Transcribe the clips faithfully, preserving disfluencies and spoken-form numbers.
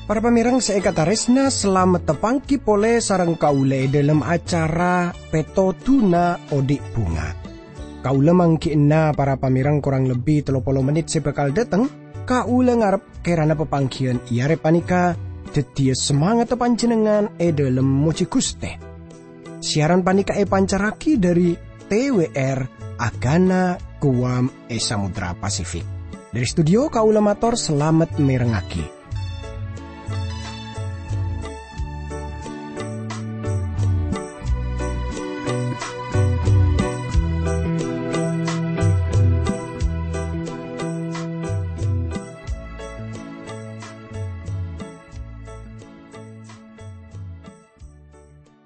Para pamèrèng sè èkatarèsna, salamet tapangghi polè sareng kaulâ è dhâlem acara Pètodhuna Odi' Bhunga. Kaulâ mangghi'na para pamèrèng korang lebbi tello polo mennit sè bhâkal dhâteng. Kaulâ ngarep kèrana papangghiyân è arè panèka dhâddhiyâ samangatta panjhennengngan è dhâlem mojhi Ghustè. Siaran panèka èpancarraghi dhâri T W R Agana Guam è Samudra Pasifik. Dhâri studio kaulâ mator salamet mèrengngaghi.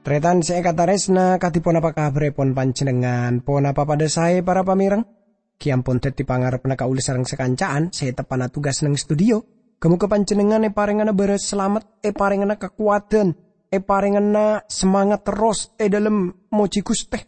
Tarètan sè èkatarèsna, kadhi ponapa kabhârrèpon panjhennengngan? Ponapa padhâ saè, para pamèrèng? Ghi ampon dhâddhi pangarebbhâ kaulâ sareng sakanca'an sè teppa'na tugas neng studio. Ghâ-moghâ panjhennengngan èparèngana bârâs salamet, èparèngana kakowadhân, èparèngana samangat terros è dhâlem mojhi Ghustè.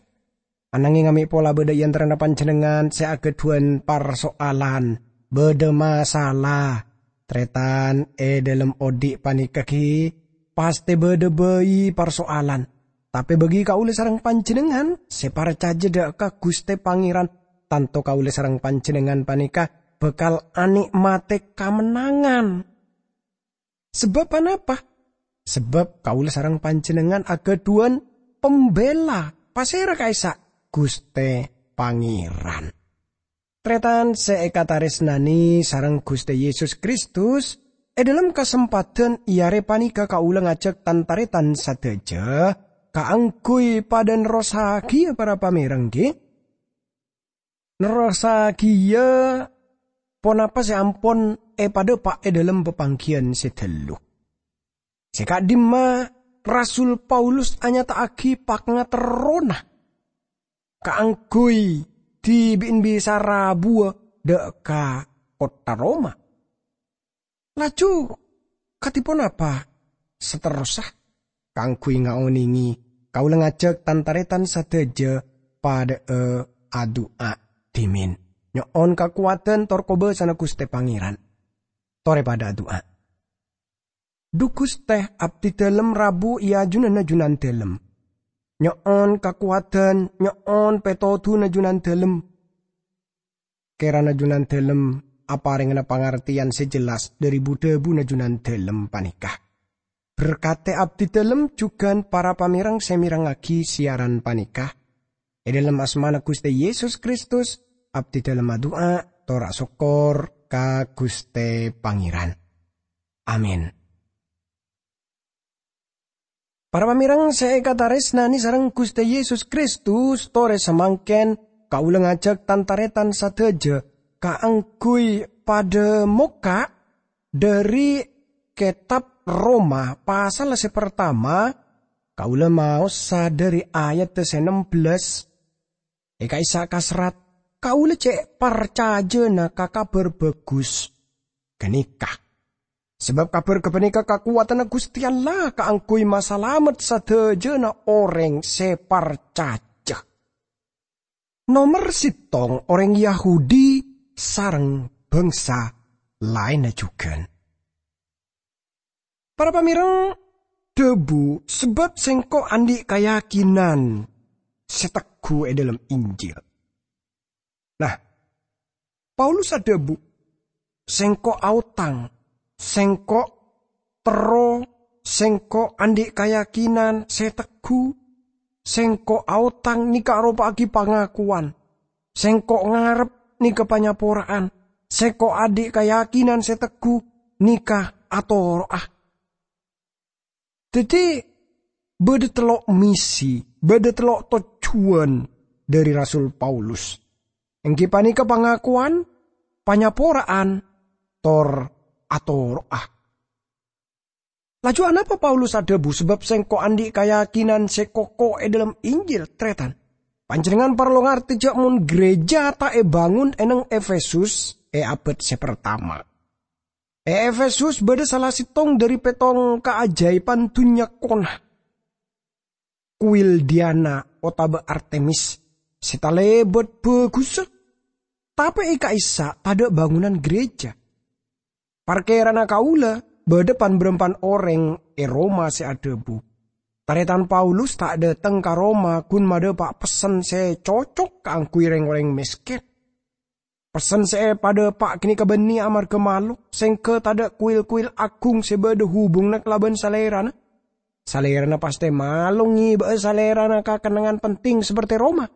Anangèng amè' pola bâdâ è antarana panjhennengngan sè aghâdhuwân parso'alan, bâdâ masalah. Tarètan è dhâlem odi' panèka ghi pastè bâdâ bhâi parso'alan. Tapè bagi kaulâ sareng panjhennengngan sè parcajâ dhâ' ka Ghustè Pangèran, tanto kaulâ sareng panjhennengngan panèka bhâkal anè'matè kamennangan. Sabâb anapa? Sabâb kaulâ sareng panjhennengngan aghâdhuwân pambela. Pasèra ka'issa'? Ghustè Pangèran. Tarètan sè èkatarèsnanè sareng Ghustè Yesus Kristus, è dhâlem kasempadhân è arè panèka kaulâ ngajhâk tan-tarètan sadhâjâ kaangghuy padâ nerrossaghiyâ para pamèrèng, ghi. Nerrossaghiyâ ponapa sè ampon èpadhâpa' è dhâlem papangghiyân sè ghâllu. Sè ka'dimma, Rasul Paulus anyata'aghi pangaterrona kaangghuy dhibi'na bisa rabuwâ dhâ' ka kottha Roma. Laju, kadhi ponapa saterrossa? Kaangghuy ngaonèngè, kaulâ ngajhâk tan-tarètan sadhâjâ padhâ'â adu'a dhimèn, nyo'on kakowadhân tor kobâsana Ghustè Pangèran. Torè padhâ adu'a. Dhu Ghustè, abdhidhâlem rabu è ajunanna Junandhâlem. Nyo'on kakowadhân, nyo'on pètodhuna Junandhâlem. Kèrana Junandhâlem aparèngana pangartèyan sè jelas dhâri bu-dhâbuna Junandhâlem panèka. Berkatè abdhidhâlem jhughân para pamèrèng sè mèrengngaghi siaran panèka. È dhâlem asmana Ghustè Yesus Kristus, abdhidhâlem adu'a, tor asokkor ka Ghustè Pangèran. Amin. Para pamèrèng sè èkatarèsnanè sareng Ghustè Yesus Kristus, torè samangkèn kaulâ ngajhâk tan-tarètan sadhâjâ kaangghuy padhâ mokka' dhâri Kètab Roma pasal sè partama, kaulâ maosa dhâri ayadda sè nem bellâs. È ka'issa' kaserrat, kaulâ cè' parcajâna ka Kabhâr Bhâghus ghânèka. Sabâb kabhâr ghâpanèka kakowadhânna Ghustè Allah kaangghuy masalamet sadhâjâna orèng sè parcajâ. Nomer sèttong orèng Yahudi sareng bhângsa laènna jhughân. Para pamèrèng, dhâbu, "Sabâb sèngko' andi' kayakinan sè tegghu è dhâlem Injil." Nah, Paulus adhâbu, "Sèngko' aotang, sèngko' terro, sèngko' andi' kayakinan sè tegghu, sèngko' aotang nèka aropa'aghi pangakowan, sèngko' ngarep nèka panyapora'an, sèngko' andi' kayakinan sè tegghu nèka atoro'a." Dhâddhi, bâdâ tello' misi, bâdâ tello' tojjhuwân dhâri Rasul Paulus, èngghi panèka pangakowan, panyapora'an, tor atoro'a. Laju anapa Paulus adhâbu, "Sabâb sèngko' andi' kayakinan sè koko è dhâlem Injil"? Tarètan, panjhennengngan parlo ngartè jâ' mon ghârèjâ ta' èbângon è neng Efesus è abâd sè partama. E Efesus bâdâ sala sèttong dhâri pèttong kaajâibhân dhunnya kona, kuil Diana otabâ Artemis, sè talèbât bhâghussa. Tapè è ka'issa' tadâ' bângonan gereja. Parkèrana kaulâ, bâdâ pan-bârâmpan orèng è Roma sè adhâbu, "Tarètan Paulus ta' dâteng ka Roma ghun madhâpa' pessen sè cocok kaangghuy rèng-orèng mèskèn. Pessen sè èpadhâpa' ghânèka bânnè amarghâ malo, sèngghâ tadâ' kuil-kuil aghung sè bâdâ hubunganna kalabân salèrana. Salèrana pastè malo ngèbâ'â salèrana ka kennengngan penting sapertè Roma."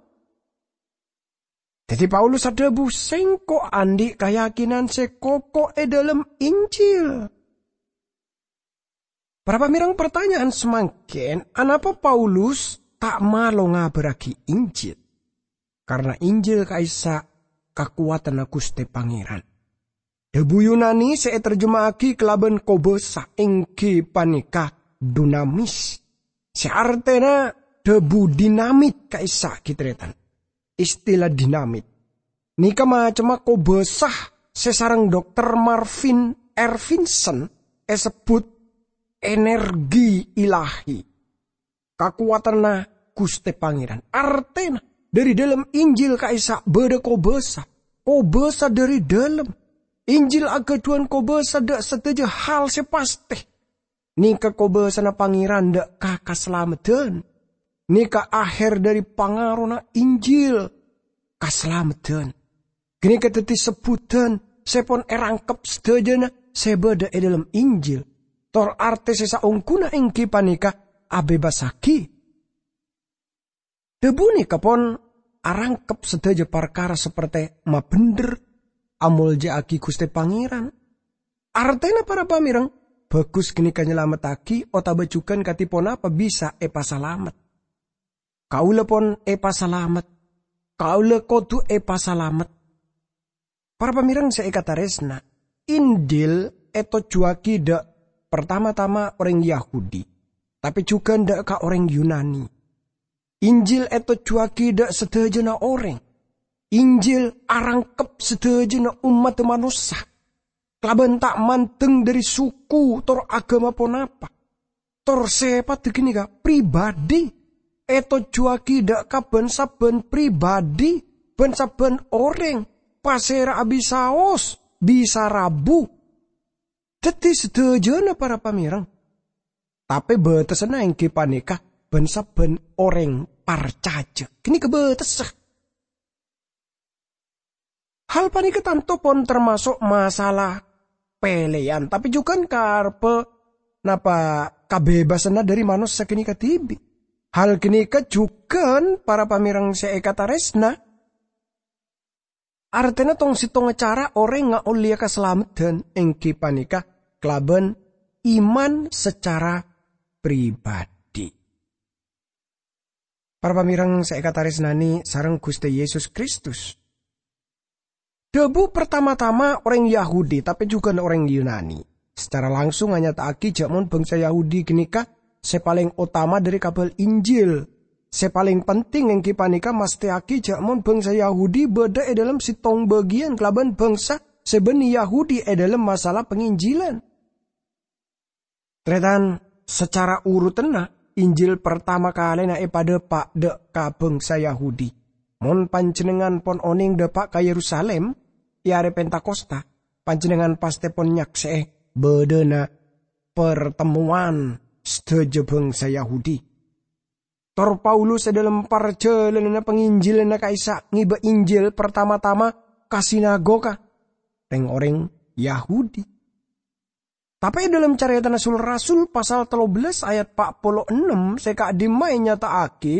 Dhâddhi Paulus adhâbu, "Sèngko' andi' kayakinan sè koko è dhâlem Injil." Para pamèreng, partanya'an samangkèn, anapa Paulus ta' malo ngabârraghi Injil? Karna Injil ka'issa' kakowadhânna Ghustè Pangèran. Dhâbu Yunani sè ètarjema'aghi kalabân kobâsa èngghi panèka dunamis, sè artèna dhâbu dinamit ka'issa' ghi' tarètan. Istila dinamit nèka macemma kobâsa sè sareng Dokter Marvin Ervinson èsebbhut energi ilahi, kakowadhânna Ghustè Pangèran. Artèna, dhâri dhâlem Injil ka'issa' bâdâ kobâsa, kobâsa dhâri dhâlem. Injil aghâdhuwân kobâsa dâ' sadhâjâ hal sè pastè. Nèka kobâsana Pangèran dâ' ka kasalameddhân. Nèka ahèr dhâri pangarona Injil, kasalameddhân. Ghânèka dhâddhi sebbhudhân sè pon èrangkep sadhâjâna sè bâdâ è dhâlem Injil. Tor artè sè saongghuna èngghi panèka abhebbassaghi. Dhâbu nèka pon arangkep sadhâjâ parkara sapertè mabhendher, amoljâ'aghi Ghustè Pangèran. Artèna, para pamèreng, bhâghus ghânèka nyalamettaghi otabâ jhughân kadhi ponapa bisa èpasalamet. Kaulâ pon èpasalamet. Kaulâ kodhu èpasalamet. Para pamèreng sè èkatarèsna, Injil ètojjhuwâghi dâ' partama-tama orèng Yahudi, tapè jhughân dâ' ka orèng Yunani. Injil ètojjhuwâghi dâ' sadhâjâna orèng. Injil arangkep sadhâjâna ommaddhâ manossa, kalabân ta' mandeng dhâri suku tor aghâma ponapa. Tor sèpaddhâ ghânèka pribadi, ètojjhuwâghi dâ' ka bân-sabbhân pribadi, bân-sabbhân orèng, pasèra'a bisaos, bisa rabu. Dhâddhi sadhâjâna, para pamèreng. Tapè bâtessanna èngghi panèka bân-sabbhân orèng parcajâ. Ghânèka bâtessa. Hal panèka tanto pon tamaso' masalah pèlèyan, tapè jhughân karebbhâ napa kabhebassanna dhâri manossa ghânèka dhibi'. Hal ghânèka jhughân, para pamèreng sè èkatarèsna, artèna tong-settongnga cara orèng ngaollèya kasalameddhân èngghi panèka kalabân iman sacara pribadi. Para pamèreng sè èkatarèsnanè sareng Ghustè Yesus Kristus. Dhâbu partama-tama orèng Yahudi, tapè jhughân orèng Yunani, sacara langsung anyata'aghi jhâ' mon bhângsa Yahudi ghânèka sè palèng otama dhâri Kabhâl Injil. Sè palèng penting èngghi panèka mastèyaghi jhâ' mon bhângsa Yahudi bâdâ è dhâlem settong bâgiyân kalabân bhângsa sè bânnè Yahudi è dhâlem masalah panginjilan. Tarètan, sacara urutanna, Injil partama kalèna èpadhâpa' dâ' ka bhângsa Yahudi. Mon panjhennengngan pon onèng dâpa' ka Yerusalim è arè Pentakosta, panjhennengngan pastè pon nyaksè'è bâdâna partemmowan sadhâjâ bhângsa Yahudi. Tor Paulus è dhâlem parjhâlânanna panginjilanna ka'issa' ngèbâ Injil partama-tama ka sinagoga rèng-orèng Yahudi. Tapè è dhâlem Carètana Sul-Rasul pasal tello bellâs ayat pa' polo ennem sè ka'dimma ènyata'aghi,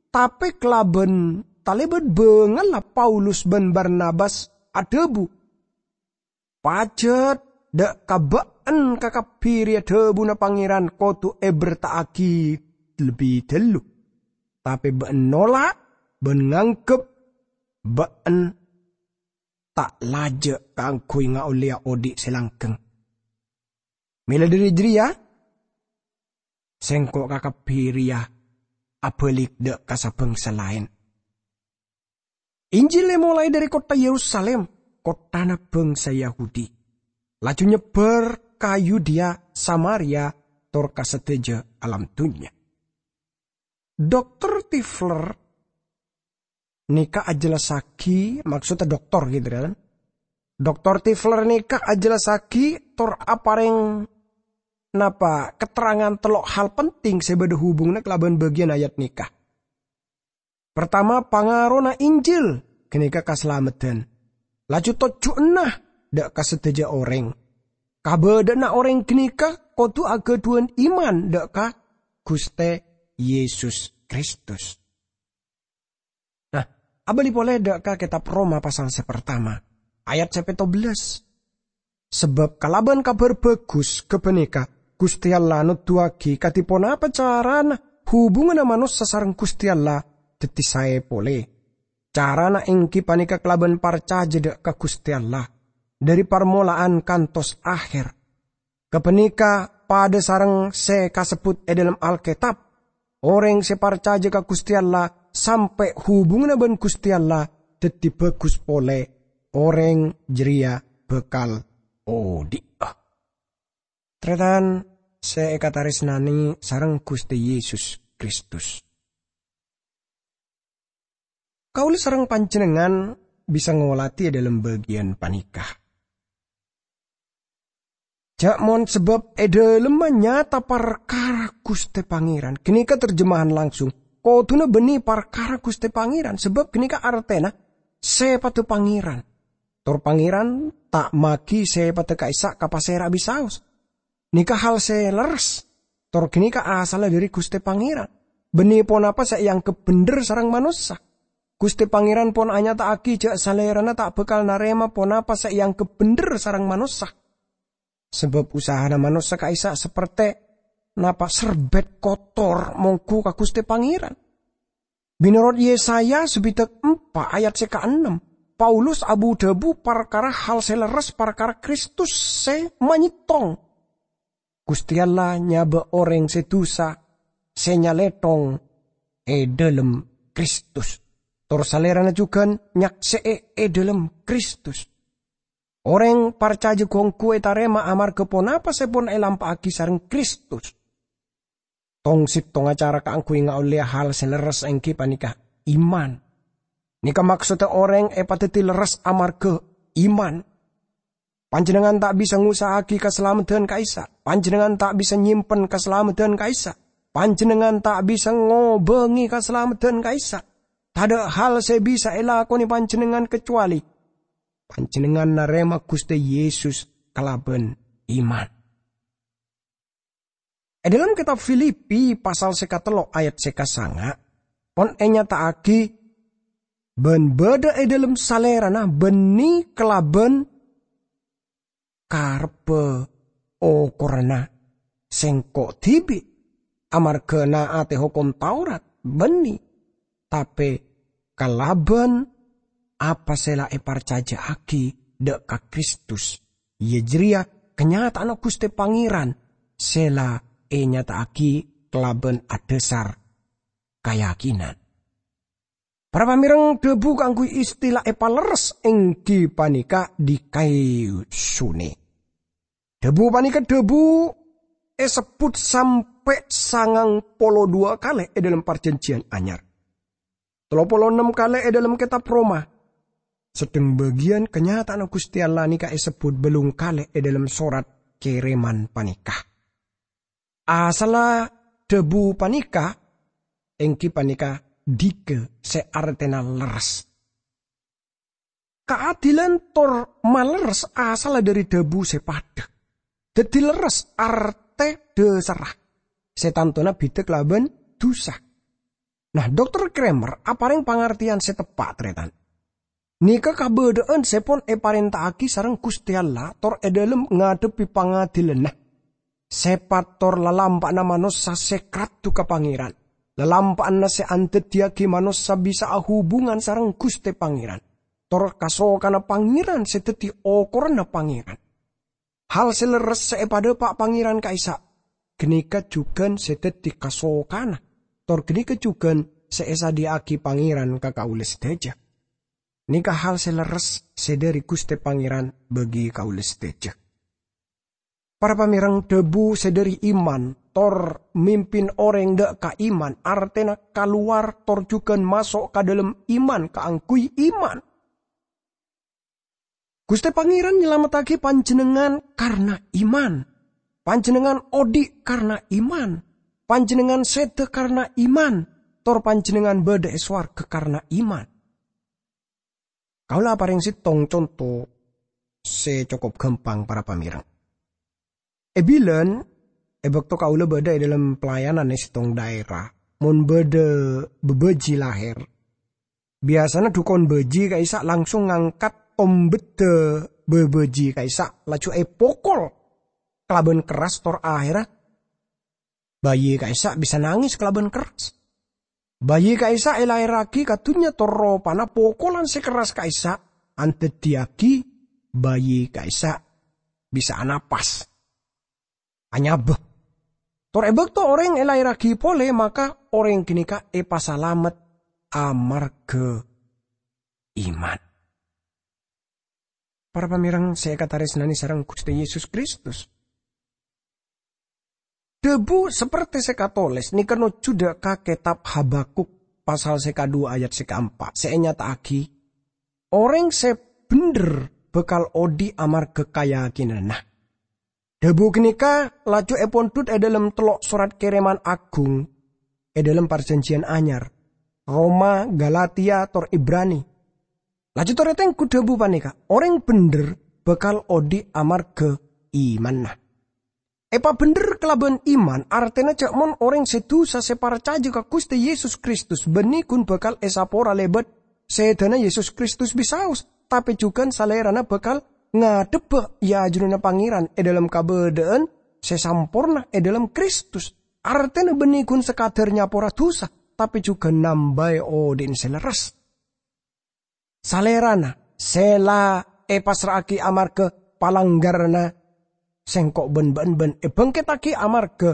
tapè kalabân talèbât bângalla Paulus bân Barnabas adhâbu, "Pajhât dâ' ka bâ'en kakabbhi rèya dhâbuna Pangèran kodhu èberta'aghi lebbi ghâllu. Tapè bâ'en nola' bân nganggep bâ'en ta' lajâ' kaangghuy ngaollèya odi' sè langghâng. Mèla dhâri jârèya, sèngko' kakabbhi rèya abâlik dâ' ka sabhângsa laèn." Injil èmolaè dhâri kottha Yerusalim, kotthana bhângsa Yahudi. laju nyebbhâr ka Yudea, Samaria, tor ka sadhâjâ alam dhunnya. Dokter Tifler nèka ajhellassaghi, maksodda dokter gitu kan. Dokter Tifler nèka ajhellassaghi tor aparèng napa keterangan tello' hal penting sè bâdâ hubunganna kalabân bâgiyân ayat nèka. Partama, pangarona Injil ghânèka kasalameddhân. Laju tojjhuwânna dâ' ka sadhâjâ orèng. Kabâdâ'ânna orèng ghânèka kodhu aghâdhuwân iman dâ' ka Ghustè Yesus Kristus. Nah, abâli polè dâ' ka Kètab Roma pasal sè partama, ayat sè pètto bellâs. Sabâb kalabân Kabhâr Bhâghus ghâpanèka, Ghustè Allah noduwâghi kadhi ponapa carana hubunganna manossa sareng Ghustè Allah dhâddhi saè polè. Carana èngghi panèka kalabân parcajâ dâ' ka Ghustè Allah, dhâri parmola'an kantos aher. Ghâpanèka padâ sareng sè kasebbhut è dhâlem Alkètab, orèng sè parcajâ ka Ghustè Allah sampè' hubunganna bân Ghustè Allah dhâddhi bhâghus polè, orèng jârèya bhâkal odhi'a. Tarètan sè èkatarèsnanè sareng Ghustè Yesus Kristus. Kaulâ sareng panjhennengngan bisa ngolatè è dhâlem bâgiyân panèka. Jhâ' mon sabâb è dhâlemma nyata parkara Ghustè Pangèran, ghânèka terjemahan langsung, kodhuna bânnè parkara Ghustè Pangèran, sabâb ghânèka artèna sèpaddhâ Pangèran. Tor Pangèran ta' maghi sèpaddhâ ka'issa' ka pasèra bisaos. Nèka hal sè lerres. Tor ghânèka asalla dhâri Ghustè Pangèran. Bânnè ponapa sè èangghep bhendher sareng manossa. Ghustè Pangèran pon anyata'aghi jhâ' Salèrana ta' bhâkal narèma ponapa sè èangghep bhendher sareng manossa. Sabâb usahana manossa ka'issa' sapertè napa' serbet kotor mongghu ka Ghustè Pangèran. Mènorot Yesaya sabidhâk empa' ayat sè kaennem, Paulus abu-dhâbu parkara hal sè lerres parkara Kristus sè manyèttong. Ghustè Allah nyabâ' orèng sè dusa, sè nyalèthong è dhâlem Kristus. Tor Salèrana jhughân nyaksè'è è dhâlem Kristus. Orèng parcajâ ghungghu ètarèma amarghâ ponapa sè pon èlampa'aghi sareng Kristus. Tong-sèttongnga cara kaangghuy ngaollèya hal sè lerres èngghi panèka iman. Nèka maksodda orèng èpadhâddhi lerres amarghâ iman. Panjhennengngan ta' bisa ngusa'aghi kasalameddhân ka'issa'. Panjhennengngan ta' bisa nyèmpen kasalameddhân ka'issa'. Panjhennengngan ta' bisa ngobângè kasalameddhân ka'issa'. Tadâ' hal sè bisa èlakonè panjhennengngan kacowalè panjhennengngan narèma Ghustè Yesus kalabân iman. È dhâlem kètab Filipi pasal sè katello' ayat sè kasanga', pon ènyata'aghi bân bâdâ è dhâlem Salèrana bânnè kalabân karebbhâ okoranna sèngko' dhibi', amarghâ na'atè hokom Taurat, bânnè, tapè kalabân apa sè la èparcajâ'aghi dâ' ka Kristus, iyâ jârèya kanyata'anna Ghustè Pangèran sè la ènyata'aghi kalabân adhâsar kayakinan. Para pamèreng, dhâbu kaangghuy istila èpalerres èngghi panèka dikaisune. Dhâbu panèka dhâbu èsebbhut sampè' sangang polo duwâ' kalè è dhâlem Parjhânjhiyân Anyar. Tello polo ennem kalè è dhâlem Kètab Roma. Sedheng bâgiyân kanyata'anna Ghustè Allah nèka èsebbhut bâllung kalè è dhâlem sorat kèrèman panèka. Asalla dhâbu panèka èngghi panèka dika sè artèna lerres. Kaadilan tor malerres asalla dhâri dhâbu sè padhâ. Dhâddhi lerres artè dhâsarra sè tantona bhidhâk kalabân dhusa. Nah, Dokter Kramer aparèng pangartèyan sè teppa', tarètan. Nèka kabâdâ'ân sè pon èparènta'aghi sareng Ghustè Allah tor è dhâlem ngadhebbhi pangadilanna. Sèpat tor lalampa'anna manossa sè kradhu ka Pangèran, lalampa'anna sè andhâddhiyâghi manossa bisa ahubungan sareng Ghustè Pangèran, tor kasokanna Pangèran sè dhâddhi okoranna Pangèran. Hal sè lerres sè èpadhâpa' Pangèran ka'issa', ghânèka jhughân sè dhâddhi kasokanna, tor ghânèka jhughân sè èsadhiyâ'aghi Pangèran ka kaulâ sadhâjâ. Nèka hal sè lerres sè dhâri Ghustè Pangèran bagi kaulâ sadhâjâ. Para pamèrèng, dhâbu sè dhâri iman tor mimpin orèng dâ' ka iman, artèna kalowar tor jhughân maso' ka dhâlem iman kaangghuy iman. Ghustè Pangèran nyalamettaghi panjhennengngan karna iman. Panjhennengngan odi' karna iman. Panjhennengngan sèdhâ karna iman. Tor panjhennengngan bâdâ è sowarghâ karna iman. Kaulâ aparèng sèttong conto sè cokop ghâmpang, para pamèrèng. È bilân, è bâkto kaulâ bâdâ è dhâlem pelayanan è sèttong dhaèra, mon bâdâ bâbâji lahèr, biyasana dhukon bâji ka'issa' langsung ngangkat tombeddhâ bâbâji ka'issa', laju èpokol kalabân kerras tor ahèrra bâji ka'issa' bisa nangès kalabân kerras. Bâji ka'issa' èlaèrraghi ka dhunnya tor ropana pokolan sè kerras ka'issa' andhâddhiyaghi bâji ka'issa' bisa anapas, anyabâ. Tor è bâkto orèng èlaèrraghi polè, maka orèng ghânèka èpasalamet amarghâ iman. Para pamèrèng sè èkatarèsnanè sareng Ghustè Yesus Kristus, dhâbu sapertè sè katolès nèka nojjhu dâ' ka kètab Habakuk pasal sè kadhuwâ ayat sè kaempa' sè ènyata'aghi, orèng sè bhendher bhâkal odi' amarghâ kayakinanna. Dhâbu ghânèka laju èpondhut è dhâlem tello' sorat kèrèman aghung è dhâlem Parjhânjhiyân Anyar, Roma, Galatia, tor Ibrani. Laju tor ètengghu dhâbu panèka, orèng bhendher bhâkal odi' amarghâ imanna. Èpabhendher kalabân iman, artèna jhâ' mon orèng sè dhusa sè parcajâ ka Ghustè Yesus Kristus bânnè ghun bhâkal èsapora lèbât sèdhâna Yesus Kristus bisaos, tapè jhughân Salèrana bhâkal ngadhebbhâ è ajunanna Pangèran è dhâlem kabâdâ'ân sè samporna è dhâlem Kristus. Artèna bânnè ghun sakadhâr nyapora dhusa, tapè jhughân nambâi odi'na sè lerres. Salèrana sè la èpassra'aghi amarghâ palanggaranna sèngko' bân bâ'ân bân èbhângkettaghi amarghâ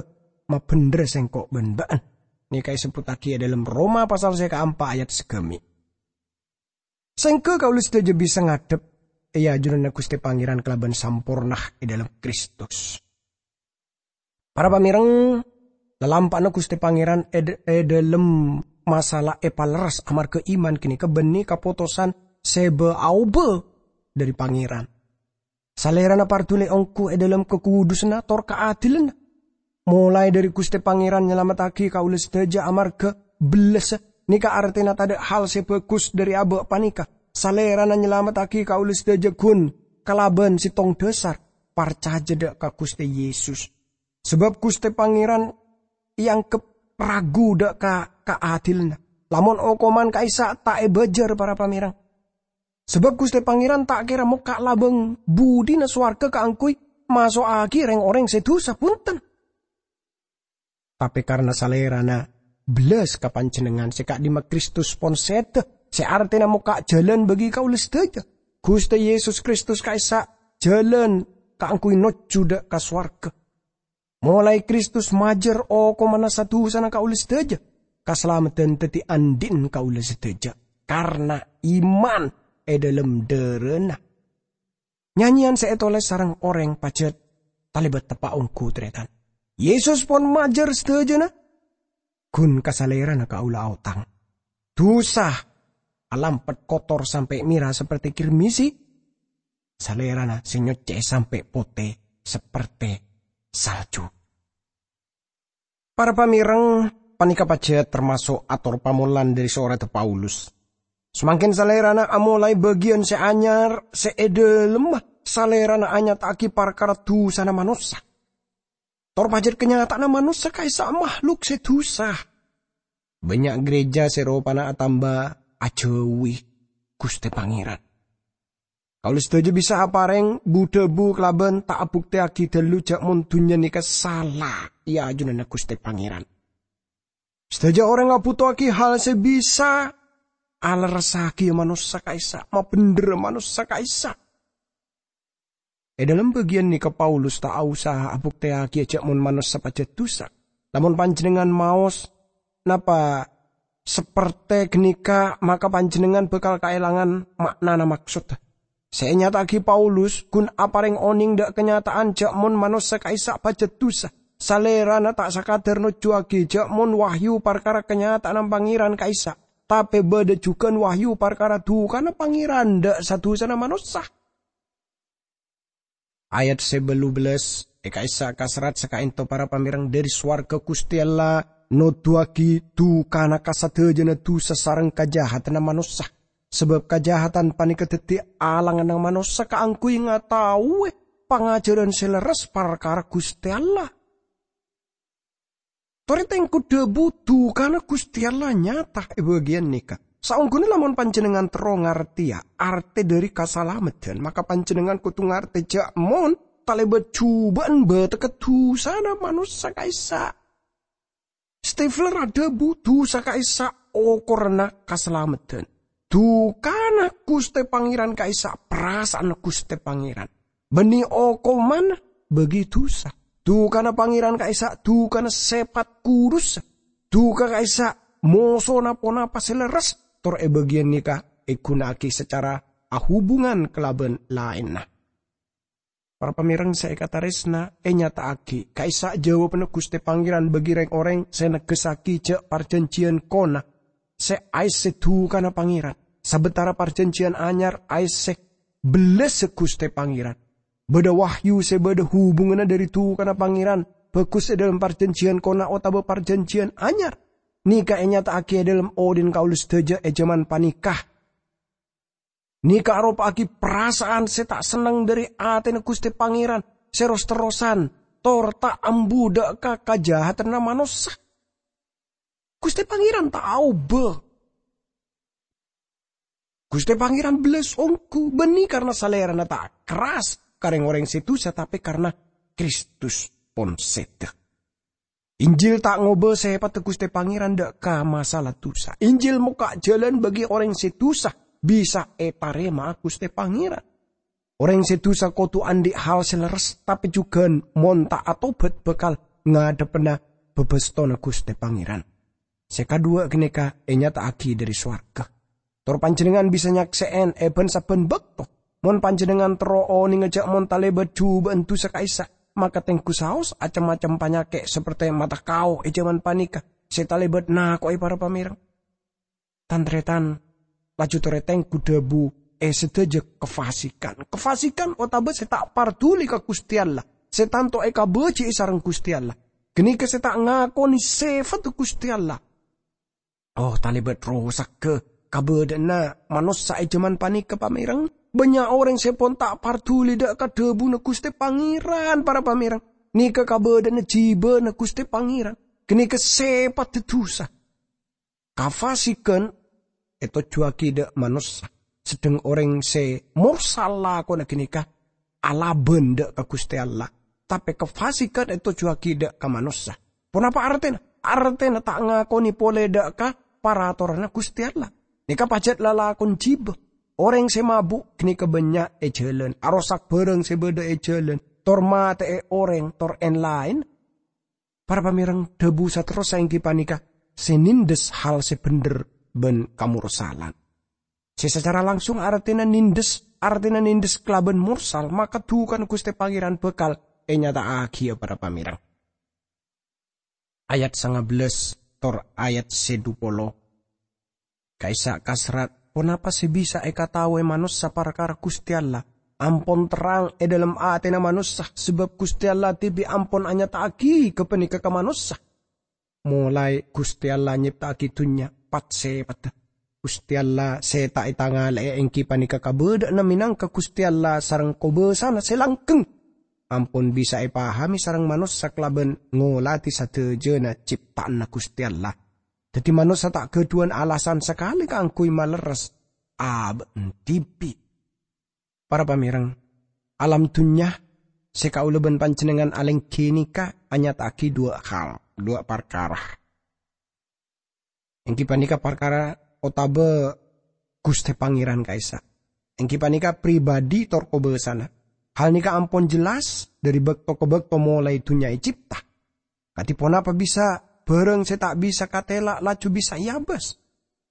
mabhendherra sèngko' bân bâ'ân. Nèka èsebbhuttaghi è dhâlem Roma pasal sè kaempa ayat sagâmè'. Sèngghâ kaulâ sadhâjâ bisa ngadhep è ajunanna Ghustè Pangèran kalabân samporna è dhâlem Kristus. Para pamèrèng, lalampa'na Ghustè Pangèran è, è dhâlem masalah èpalerres amarghâ iman ghânèka bânnè kapotosan sè bâ-aobâ dhâri Pangèran. Salèrana parduli ongghu è dhâlem kakudhusanna tor kaadilanna. Molaè dhâri Ghustè Pangèran nyalamettaghi kaulâ sadhâjâ amarghâ bellessa, nèka artèna tadâ' hal sè bhâghus dhâri abâ' panèka. Salèrana nyalamettaghi kaulâ sadhâjâ ghun kalabân sèttong dhâsar, parcajâ dâ' ka Ghustè Yesus. Sabâb Ghustè Pangèran èangghep ragu dâ' ka kaadilanna. Lamon okoman ka'issa' ta' èbâjâr, para pamèrèng. Sabâb Ghustè Pangèran ta' kèra mokka' labâng budina sowarghâ kaangghuy maso'aghi rèng-orèng sè dhusa, bhunten. Tapè karna Salèrana bellas ka panjhennengngan sè ka'dimma Kristus pon sèdhâ, sè artèna mokka' jhâlân bagi kaulâ sadhâjâ. Ghustè Yesus Kristus ka'issa' jhâlân kaangghuy nojjhu dâ' ka sowarghâ. Molaè Kristus majâr okomanna sa-dhusana kaulâ sadhâjâ, kasalameddhân dhâddhi andi'na kaulâ sadhâjâ karna iman è dhâlem dârâna. Nyanyèyan sè ètolès sareng orèng pajhât talèbât teppa' ongghu, tarètan. Yesus pon majâr sadhâjâna, ghun ka Salèrana kaulâ aotang. Dhusa alampet kotor sampè' mèra sapertè kirmisi, Salèrana sè nyoccè'è sampè' potè sapertè salju. Para pamèrèng, panèka pajhât tamaso' ator pamolan dhâri soradhâ Paulus. Samangkèn Salèrana amolaè bâgiyân sè anyar sè è dhâlemma, Salèrana anyata'aghi parkara dhusana manossa. Tor pajhât kanyata'anna manossa ka'issa' mahluk sè dhusa. Bânnya' ghârèjâ sè ropana atamba ajhâuwi Ghustè Pangèran. Kaulâ sadhâjâ bisa aparèng bu-dhâbu kalabân ta' abuktèyaghi ghâllu jhâ' mon dhunnya nèka sala è ajunanna Ghustè Pangèran. Sadhâjâ orèng abhutowaghi hal sè bisa alerressaghi manossa ka'issa', mabhendherra manossa ka'issa'. È dhâlem bâgiyân nèka Paulus ta' aosa abuktèyaghi jhâ' mon manossa pajhât dhusa. Lamon panjhennengngan maos napa sapertè ghânèka, maka panjhennengngan bhâkal kaèlangan ma'nana maksodda. Sè ènyata'aghi Paulus ghun aparèng onèng dhâ' kanyata'an jhâ' mon manossa ka'issa' pajhât dhusa. Salèrana ta' sakadhâr nojjhuwâghi jhâ' mon wahyu parkara kanyata'anna Pangèran ka'issa', tapè bâdâ jhughân wahyu parkara dhukana Pangèran dhâ' sa-dhusana manossa. Ayat sè bâllu bellâs, è ka'issa' kaserrat sè ka'ènto para pamèrèng dhâri sowarghâ Ghustè Allah noduwâghi dhukana ka sadhâjâna dhusa sareng kajahadanna manossa. Sabâb kajahatan panèka dhâddhi alanganna manossa kaangghuy ngataowè pangajhârân sè lerres parkara Ghustè Allah. Torè tèngghu dhâbu dhukana Ghustè Allah nyata è bâgiyân nèka. Saongghuna lamon panjhennengngan terro ngartèya artè dhâri kasalameddhân, maka panjhennengngan kodhu ngartè jhâ' mon talèbât jhubâ'ân bâtekka dhusana manossa ka'issa'. Stifler adhâbu, dhusa ka'issa' okoranna kasalameddhân. Dhukana Ghustè Pangèran ka'issa' parasa'anna Ghustè Pangèran. Bânnè okomanna bâgi dhusa. Dhukana Pangèran ka'issa' dhukana sèpat kurussa. Dhuka ka'issa' mosona ponapa sè lerres, tor è bâgiyân nèka èghuna'aghi sacara ahubungan kalabân laènna. Para pamèrèng sè èkatarèsna, ènyata'aghi ka'issa' jawabanna Ghustè Pangèran bâgi rèng-orèng sè negghessaghi jhâ' parjhânjhiyân kona sè aèssè dhukana Pangèran, sabâtara parjhânjhiyân anyar aèssè bellâssa Ghustè Pangèran. Bâdâ wahyu sè bâdâ hubunganna dhâri dhukana Pangèran, bhâghus è dhâlem parjhânjhiyân kona otabâ parjhânjhiyân anyar. Nèka ènyata'aghi è dhâlem odhi'na kaulâ sadhâjâ è jhâman panèka. Nèka aropa'aghi parasa'an sè ta' senneng dhâri atèna Ghustè Pangèran sè ros-terrosan, tor ta' ambu dhâ' ka kajahadanna manossa. Ghustè Pangèran ta' aobâ. Ghustè Pangèran bellâs ongghu, bânnè karna Salèrana ta' kerras ka rèng-orèng sè dhusa, tapè karna Kristus pon sèdhâ. Injil ta' ngobâ sèpatta Ghustè Pangèran dhâ' ka masala dhusa. Injil mokka' jhâlân bâgi orèng sè dhusa bisa ètarèma'a Ghustè Pangèran. Orèng sè dhusa kodhu andhi' hal sè lerres, tapè jhughân mon ta' atobhât bhâkal ngadhebbhâna bâbâstona Ghustè Pangèran. Sè kaduwâ' ghânèka ènyata'aghi dhâri sowarghâ. Tor panjhennengngan bisa nyaksè'è è bân-sabbhân bâkto. Mon panjhennengngan terro onènga jhâ' mon talèbât jhubâ'ân dhusa ka'issa', maka tèngghu saos cem-macem panyakè' saperte mata kao è jhâman panèka sè talèbât nako'è para pamèrèng. Tan-tarètan, laju torè tèngghu dhâbu è sadhâjâ kafasikan. Kafasikan otabâ sè ta' parduli ka Ghustè Allah, sè tanto èkabâji'i sareng Ghustè Allah. Ghânèka sè ta' ngakonè sèfatta Ghustè Allah. Oh, talèbât rosagghâ kabâdâ'ânna manossa è jhâman panèka, pamèrèng. Bânnya' orèng sè pon ta' parduli dhâ' ka dhâbuna Ghustè Pangèran, para pamèrèng. Nèka kabâdâ'ânna jhibâna Ghustè Pangèran. Ghânèka sèpatta dhusa. Kafasikan ètojjhuwâghi dhâ' manossa, sedheng orèng sè morsal lakona ghânèka alabân dhâ' ka Ghustè Allah, tapè kafasikan ètojjhuwâghi dhâ' ka manossa. Ponapa artèna? Artèna ta' ngakonè polè dhâ' ka paratoranna Ghustè Allah. Nèka pajhât lalakon jhibâ. Orèng sè mabu' ghânèka bânnya' è jhâlân, arosak bhârâng sè bâdâ è jhâlân, tor matè'è orèng, tor èn-laèn. Para pamèrèng, dhâbu saterrossa èngghi panèka sè nèndhes hal sè bhendher bân kamorsalan. Sè sacara langsung artèna nèndhes, artèna nèndhes kalabân morsal, maka dhukana Ghustè Pangèran bhâkal ènyata'aghiyâ, para pamèrèng. Ayat sanga bellâs tor ayat sè dhu polo. Ka'issa' kaserrat, ponapa sè bisa èkataowè manossa parkara Ghustè Allah? Ampon terrang è dhâlem atèna manossa, sabâb Ghustè Allah dhibi' ampon anyata'aghi ghâpanèka ka manossa. Molaè Ghustè Allah nyèpta'aghi dhunnya, pat-sèpatta. Ghustè Allah sè ta' ètangalè'è èngghi panèka kabâdâ'ânna mènangka Ghustè Allah sareng kobâsana sè langgheng. Ampon bisa èpahamè sareng manossa kalabân ngolatè sadhâjâna cèpta'anna Ghustè Allah. Dhâddhi manossa ta' ghâdhuwân alasan sakalè kaangghuy malerres abâ'na dhibi'. Para pamèrèng, alam dhunnya sè kaulâ bân panjhennengngan alèngghi nèka anyata'aghi dhuwâ' hal, dhuwâ' parkara. Èngghi panèka parkara otabâ Ghustè Pangèran ka'issa'. Èngghi panèka pribadi tor kobâsana. Hal nèka ampon jelas dhâri bâkto ka bâkto molaè dhunnya ècèpta. Kadhi ponapa bisa bhârâng sè ta' bisa katèla' laju bisa èabâs?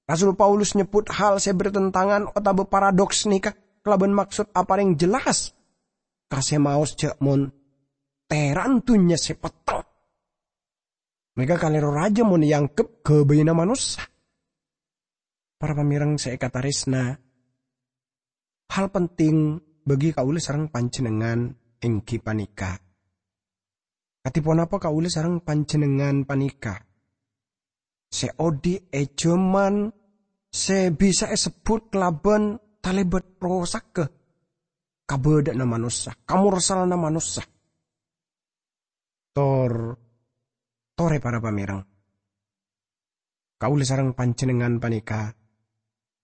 Rasul Paulus nyebbhut hal sè bertentangan otabâ paradoks nèka kalabân maksod aparèng jelas ka sè maos jhâ' mon tèran dhunnya sè petteng. Mèka kalèro rajâ mon èangghep ghâbâyânna manossa. Para pamèrèng sè èkatarèsna, hal penting bagi kaulâ sareng panjhennengngan èngghi panèka, kadhi ponapa kaulâ sareng panjhennengngan panèka sè odi' è jhâman sè bisa èsebbhut kalabân talèbât rosagghâ kabâdâ'ânna manossa, kamorsalanna manossa. Tor-, torè para pamèrèng. Kaulâ sareng panjhennengngan panèka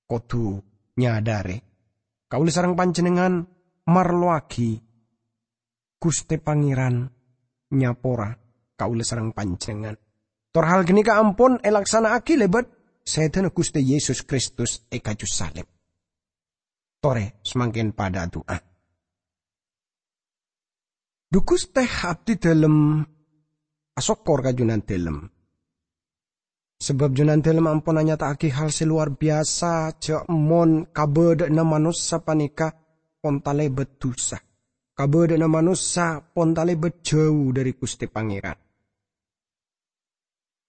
kodhu nyadhâri, kaulâ sareng panjhennengngan marlowaghi Ghustè Pangèran nyapora kaulâ sareng panjhennengngan. Tor hal ghânèka ampon èlaksana'aghi lèbât sèdhâna Ghustè Yesus Kristus è kaju salib. Torè samangkèn padhâ adu'a. Dhu Ghustè, abdhi dhâlem asokkor ka Jhunandhâlem. Sabâb Jhunandhâlem ampon anyata'aghi hal sè lowar biyasa, jhâ' mon kabâdâ'ânna manossa panèka pon talèbât dhusa. Kabâdâ'ânna manossa pon talèbât jhâu dhâri Ghustè Pangèran.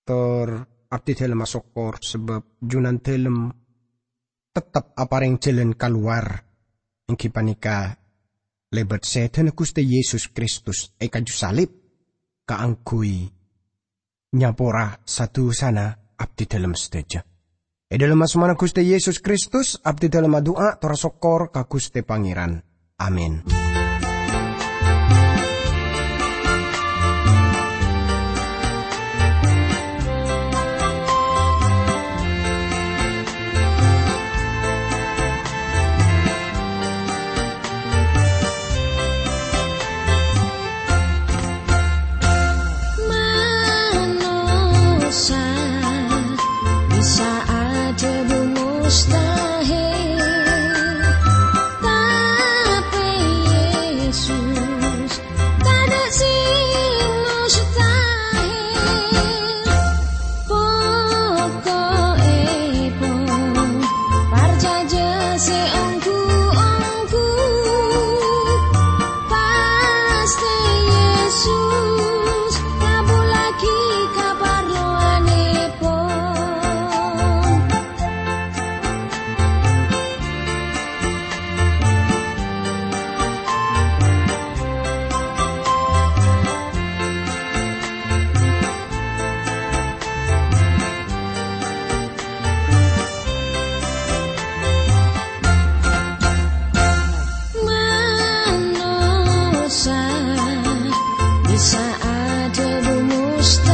Tor abdhi dhâlem asokkor sabâb Jhunandhâlem teptep aparèng jhâlân kalowar, èngghi panèka lèbât sèdhâna Ghustè Yesus Kristus è kaju salib, kaangghuy nyapora sa-dhusana abdhi dhâlem sadhâjâ. È dhâlem asmana Ghustè Yesus Kristus, abdhi dhâlem adu'a tor asokkor ka Ghustè Pangèran. Amin. Manossa bisa adhâbu mustahil, tapè Yesus tadâ' sè mustahil. Poko'èpon parcajâ sè ongghu-ongghu, pastè Yesus ngabhullaghi kaparlowanèpon. Manossa bisa adhâbu mustahil.